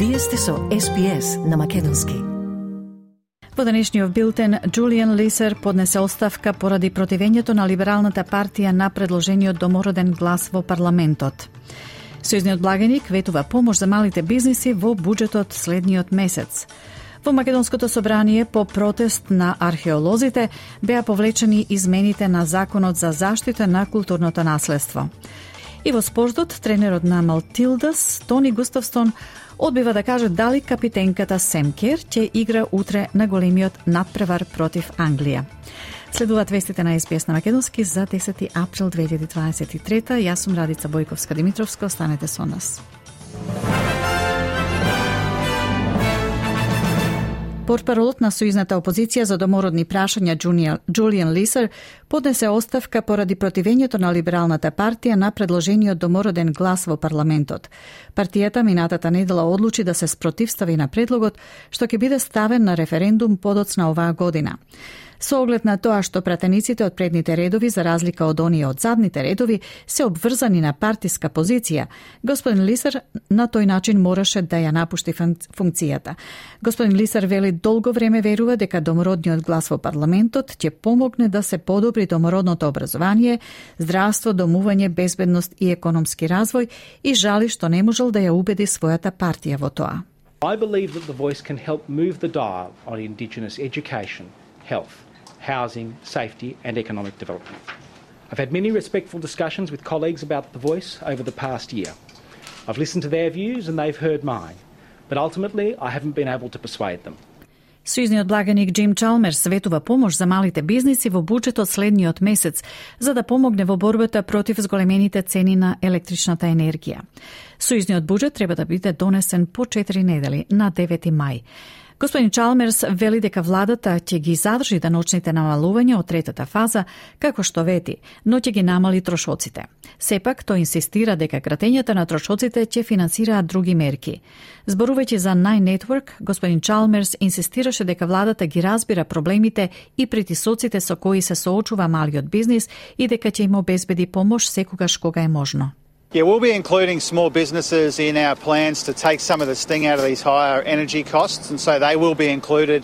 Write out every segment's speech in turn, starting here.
Вие сте со SPS на македонски. Во денешниот билтен, Джулиан Лисер поднесе оставка поради противењето на Либералната партија на предложениот домороден глас во парламентот. Сојузниот благеник ветува помош за малите бизниси во буџетот следниот месец. Во Македонското собрание по протест на археолозите беа повлечени измените на Законот за заштита на културното наследство. И во спортот, тренерот на Малтилдас, Тони Густавсон, одбива да каже дали капитенката Сем Кер ќе игра утре на големиот надпревар против Англија. Следуваат вестите на SBS на македонски за 10 април 2023. Јас сум Радица Бојковска-Димитровска, останете со нас. Портпаролот на сојузната опозиција за домородни прашања Джулиан Лисер поднесе оставка поради противењето на Либералната партија на предложениот домороден глас во парламентот. Партијата минатата недела одлучи да се спротивстави на предлогот, што ќе биде ставен на референдум подоцна оваа година. Со оглед на тоа што пратениците од предните редови, за разлика од оние од задните редови, се обврзани на партиска позиција, господин Лисер на тој начин мораше да ја напушти функцијата. Господин Лисер вели долго време верува дека домородниот глас во парламентот ќе помогне да се подобри домородното образование, здравство, домување, безбедност и економски развој и жали што не можел да ја убеди својата партија во тоа. I believe that the Voice can help move the dial on Indigenous education, health, housing, safety and economic development. I've had many respectful discussions with colleagues about The Voice over the past year. I've listened to their views and they've heard mine, but ultimately I haven't been able to persuade them. Сојузниот благаник Джим Чалмерс ветува помош за малите бизниси во буџетот следниот месец, за да помогне во борбата против зголемените цени на електричната енергија. Сојузниот буџет треба да биде донесен по 4 недели на 9 мај. Господин Чалмерс вели дека владата ќе ги задржи даночните намалувања од третата фаза, како што вети, но ќе ги намали трошоците. Сепак, тој инсистира дека кратењата на трошоците ќе финансираат други мерки. Зборувајќи за Nine Network, господин Чалмерс инсистираше дека владата ги разбира проблемите и притисоците со кои се соочува малиот бизнис и дека ќе им обезбеди помош секогаш кога е можно. Yeah, we'll be including small businesses in our plans to take some of the sting out of these higher energy costs, and so they will be included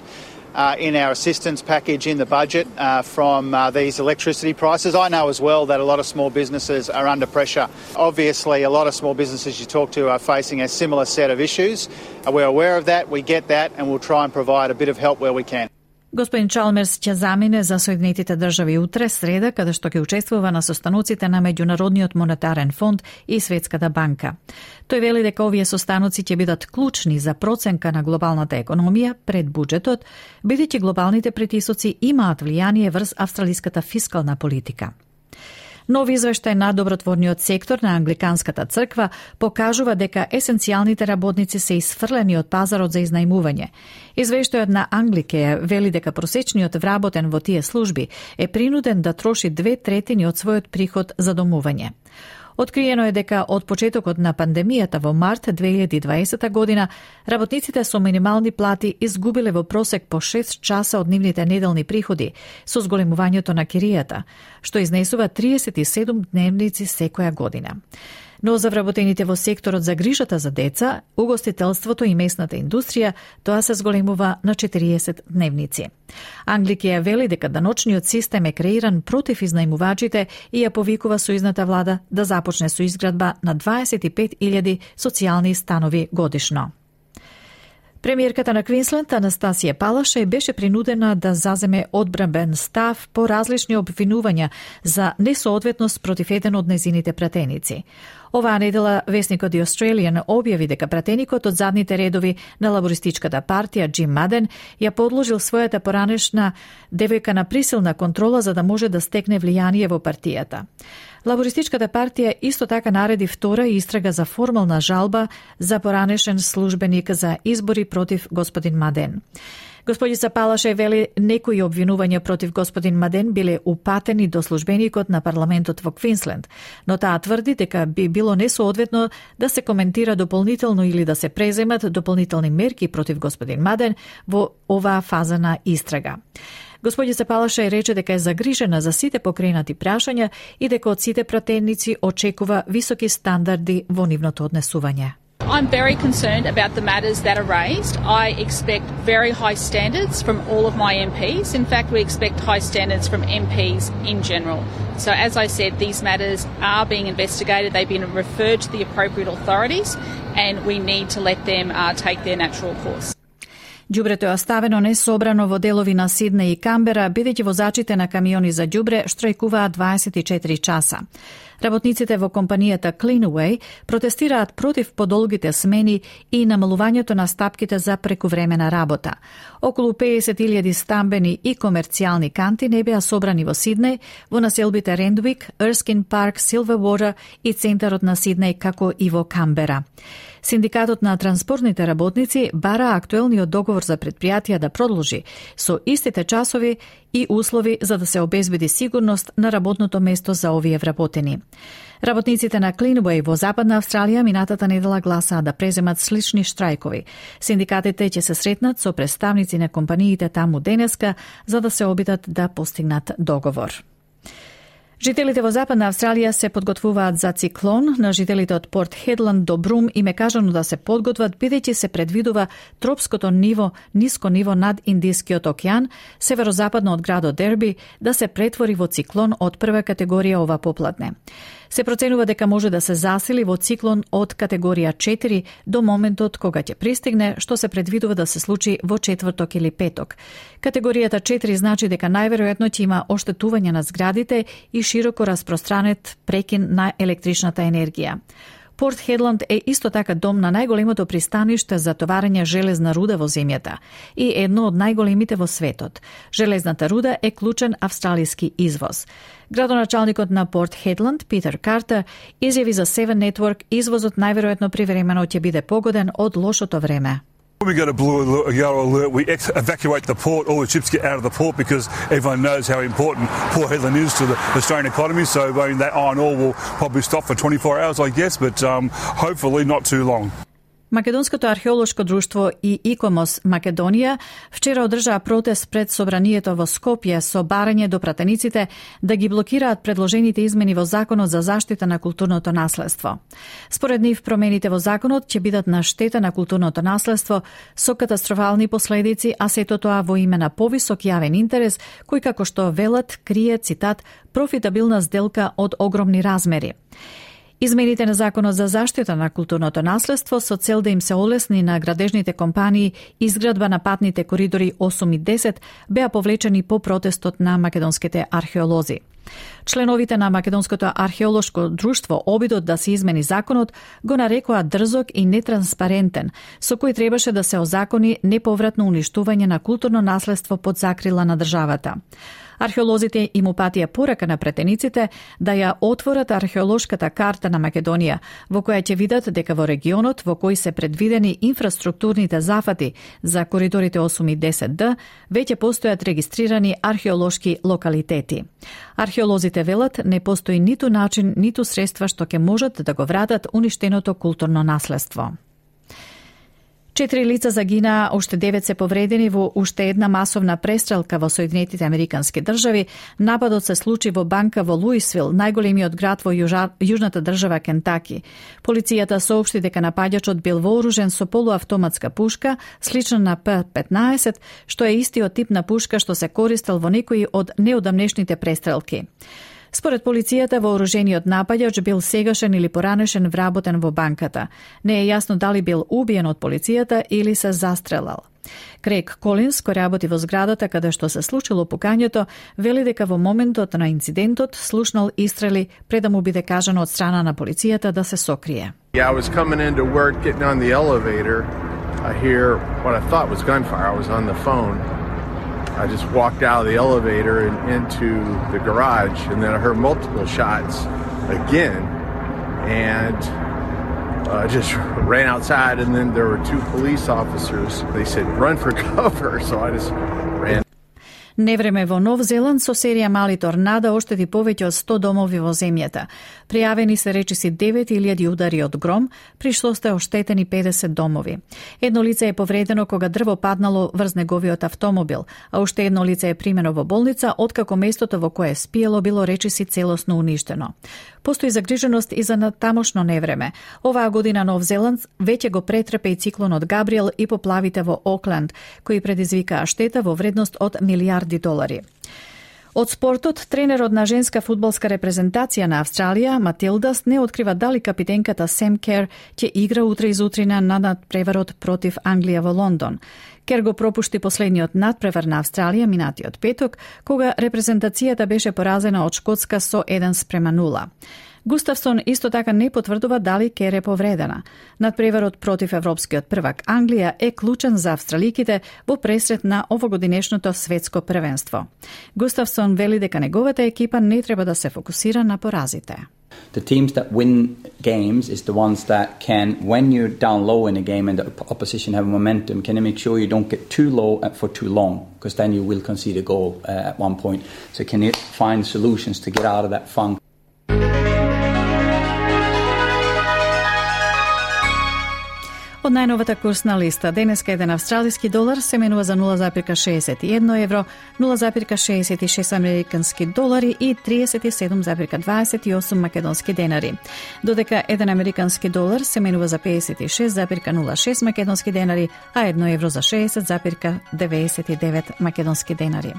in our assistance package in the budget from these electricity prices. I know as well that a lot of small businesses are under pressure. Obviously, a lot of small businesses you talk to are facing a similar set of issues. We're aware of that, we get that, and we'll try and provide a bit of help where we can. Господин Чалмерс ќе замине за Соединетите држави утре, среда, каде што ќе учествува на состаноците на Меѓународниот монетарен фонд и Светската банка. Тој вели дека овие состаноци ќе бидат клучни за проценка на глобалната економија пред буџетот, бидејќи глобалните притисоци имаат влијание врз австралиската фискална политика. Нов извештај на добротворниот сектор на Англиканската црква покажува дека есенцијалните работници се исфрлени од пазарот за изнајмување. Извештајот на Англикеја вели дека просечниот вработен во тие служби е принуден да троши 2/3 од својот приход за домување. Откриено е дека од почетокот на пандемијата во март 2020 година работниците со минимални плати изгубиле во просек по 6 часа од нивните неделни приходи со зголемувањето на киријата, што изнесува 37 дневници секоја година. Но за вработените во секторот за грижата за деца, угостителството и местната индустрија, тоа се зголемува на 40 дневници. Англикеја вели дека даночниот систем е креиран против изнајмувачите и ја повикува сојузната влада да започне со изградба на 25.000 социјални станови годишно. Премиерката на Квинсленд, Анастасија Палаше, беше принудена да заземе одбранбен став по различни обвинувања за несоодветност против еден од незините пратеници. Оваа недела весникот The Australian објави дека пратеникот од задните редови на лабористичката партија Джим Маден ја подложил својата поранешна девојка на присилна контрола за да може да стекне влијание во партијата. Лабористичката партија исто така нареди втора истрага за формална жалба за поранешен службеник за избори против господин Маден. Господица Палаше вели некои обвинувања против господин Маден биле упатени до службеникот на парламентот во Квинсленд, но таа тврди дека би било несоодветно да се коментира дополнително или да се преземат дополнителни мерки против господин Маден во оваа фаза на истрага. Господица Палаше рече дека е загрижена за сите покренати прашања и дека од сите пратеници очекува високи стандарди во нивното однесување. I'm very concerned about the matters that are raised. I expect very high standards from all of my MPs. In fact, we expect high standards from MPs in general. So as I said, these matters are being investigated. They've been referred to the appropriate authorities and we need to let them take their natural course. Ѓубрето е оставено несобрано во делови на Сиднеј и Камбера, бидејќи возачите на камиони за ѓубре штрајкуваат 24 часа. Работниците во компанијата Cleanaway протестираат против подолгите смени и намалувањето на стапките за прекувремена работа. Околу 50.000 стамбени и комерцијални канти не беа собрани во Сиднеј, во населбите Рендвик, Ерскин парк, Силвервотер и центарот на Сиднеј, како и во Камбера. Синдикатот на транспортните работници бара актуелниот договор за предпријатија да продолжи со истите часови и услови за да се обезбеди сигурност на работното место за овие вработени. Работниците на Cleanaway во Западна Австралија минатата недела гласаа да преземат слични штрајкови. Синдикатите ќе се сретнат со представници на компаниите таму денеска за да се обидат да постигнат договор. Жителите во Западна Австралија се подготвуваат за циклон. На жителите од Порт Хедланд до Брум им е кажано да се подготват бидејќи се предвидува тропското ниско ниво над Индискиот океан, северозападно од градот Дерби, да се претвори во циклон од прва категорија ова попладне. Се проценува дека може да се засили во циклон од категорија 4 до моментот кога ќе пристигне, што се предвидува да се случи во четврток или петок. Категоријата 4 значи дека најверојатно ќе има оштетување на зградите и широко распространет прекин на електричната енергија. Порт Хедланд е исто така дом на најголемото пристаниште за товарење железна руда во земјата и едно од најголемите во светот. Железната руда е клучен австралиски извоз. Градоначалникот на Порт Хедланд, Питер Картер, изјави за Seven Network извозот најверојатно привремено ќе биде погоден од лошото време. When we get a blue yellow alert, we evacuate the port. All the ships get out of the port because everyone knows how important Port Hedland is to the Australian economy. So that iron ore will probably stop for 24 hours, I guess, but hopefully not too long. Македонското археолошко друштво и ИКОМОС Македонија вчера одржаа протест пред собранието во Скопје со барање до пратениците да ги блокираат предложените измени во Законот за заштита на културното наследство. Според нив, промените во законот ќе бидат на штета на културното наследство со катастрофални последици, а сето тоа во име на повисок јавен интерес, кој како што велат крие, цитат, профитабилна сделка од огромни размери. Измените на Законот за заштита на културното наследство со цел да им се олесни на градежните компании изградба на патните коридори 8 и 10 беа повлечени по протестот на македонските археолози. Членовите на Македонското археолошко друштво обидот да се измени законот го нарекоа дрзок и нетранспарентен, со кој требаше да се озакони неповратно уништување на културно наследство под закрила на државата. Археолозите им упатија порака на претениците да ја отворат археолошката карта на Македонија, во која ќе видат дека во регионот во кој се предвидени инфраструктурните зафати за коридорите 8 и 10Д, веќе постојат регистрирани археолошки локалитети. Археолозите велат не постои ниту начин, ниту средства што ќе можат да го вратат уништеното културно наследство. 4 лица загинаа, уште 9 се повредени во уште една масовна престрелка во Соединетите Американски држави. Нападот се случи во банка во Луисвил, најголемиот град во јужната држава Кентаки. Полицијата соопшти дека напаѓачот бил вооружен со полуавтоматска пушка, слична на П-15, што е истиот тип на пушка што се користел во некои од неодамнешните престрелки. Според полицијата, вооружениот напаѓач бил сегашен или поранешен вработен во банката. Не е јасно дали бил убиен од полицијата или се застрелал. Крейг Колинс, кој работи во зградата каде што се случило пукањето, вели дека во моментот на инцидентот слушнал истрели пред да му биде кажано од страна на полицијата да се сокрие. Yeah, I was coming into work, getting on the elevator. I hear what I thought was gunfire. I was on the phone. I just walked out of the elevator and into the garage, and then I heard multiple shots again, and I just ran outside, and then there were 2 police officers. They said, run for cover, so I just ran. Невреме во Нов Зеланд со серија мали торнада оштети повеќе од 100 домови во земјата. Пријавени се речиси 9000 удари од гром, при што сте оштетени 50 домови. Едно лице е повредено кога дрво паднало врз неговиот автомобил, а уште едно лице е примено во болница, откако местото во кое спиело било речиси целосно уништено. Постои загриженост и за тамошно невреме. Оваа година Нов Зеланд веќе го претрпе и циклонот Габриел и поплавите во Окленд, кои предизвикаа штета во вредност од милиарди долари. Од спортот, тренерот на женска фудбалска репрезентација на Австралија, Матилдас, не открива дали капитенката Сем Кер ќе игра утре изутрина на надпреварот против Англија во Лондон. Кер го пропушти последниот надпревар на Австралија минатиот петок, кога репрезентацијата беше поразена од Шкотска со 1-0. Густавсон исто така не потврдува дали Кер е повредена. Надпреварот против европскиот првак Англија е клучен за австраликите во пресрет на овогодинешното светско првенство. Густавсон вели дека неговата екипа не треба да се фокусира на поразите. The teams that win games is the ones that can, when you're down low in a game and the opposition have momentum, can you make sure you don't get too low for too long, because then you will concede a goal at one point. So can you find solutions to get out of that funk? Од најновата курсна листа, денеска еден австралиски долар се менува за 0,61 евро, 0,66 американски долари и 37,28 македонски денари. Додека еден американски долар се менува за 56,06 македонски денари, а 1 евро за 60,99 македонски денари.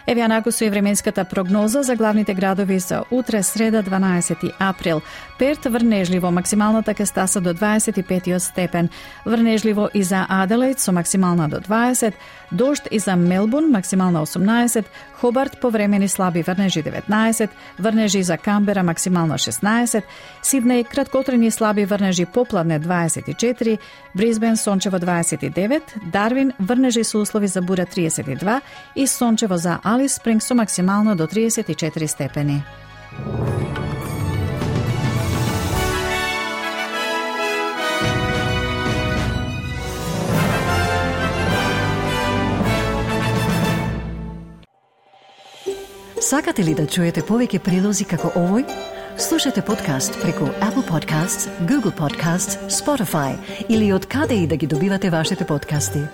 Еве анаку со и временската прогноза за главните градови за утре среда 12 април. Перт врнежливо, максималната ќе стаса до 25 степен. Врнежливо и за Аделаид со максимална до 20, дожд и за Мелбурн максимална 18, Хобарт повремени слаби врнежи 19, врнежи за Камбера максимална 16, Сиднеј краткотрени слаби врнежи попладне 24, Брисбен сончево 29, Дарвин врнежи со услови за бура 32 и сончево за Алис Спринг со максимално до 34 степени. Сакате ли да чуете повеќе прилози како овој? Слушате подкаст преку Apple Podcasts, Google Podcasts, Spotify или од каде и да ги добивате вашите подкасти.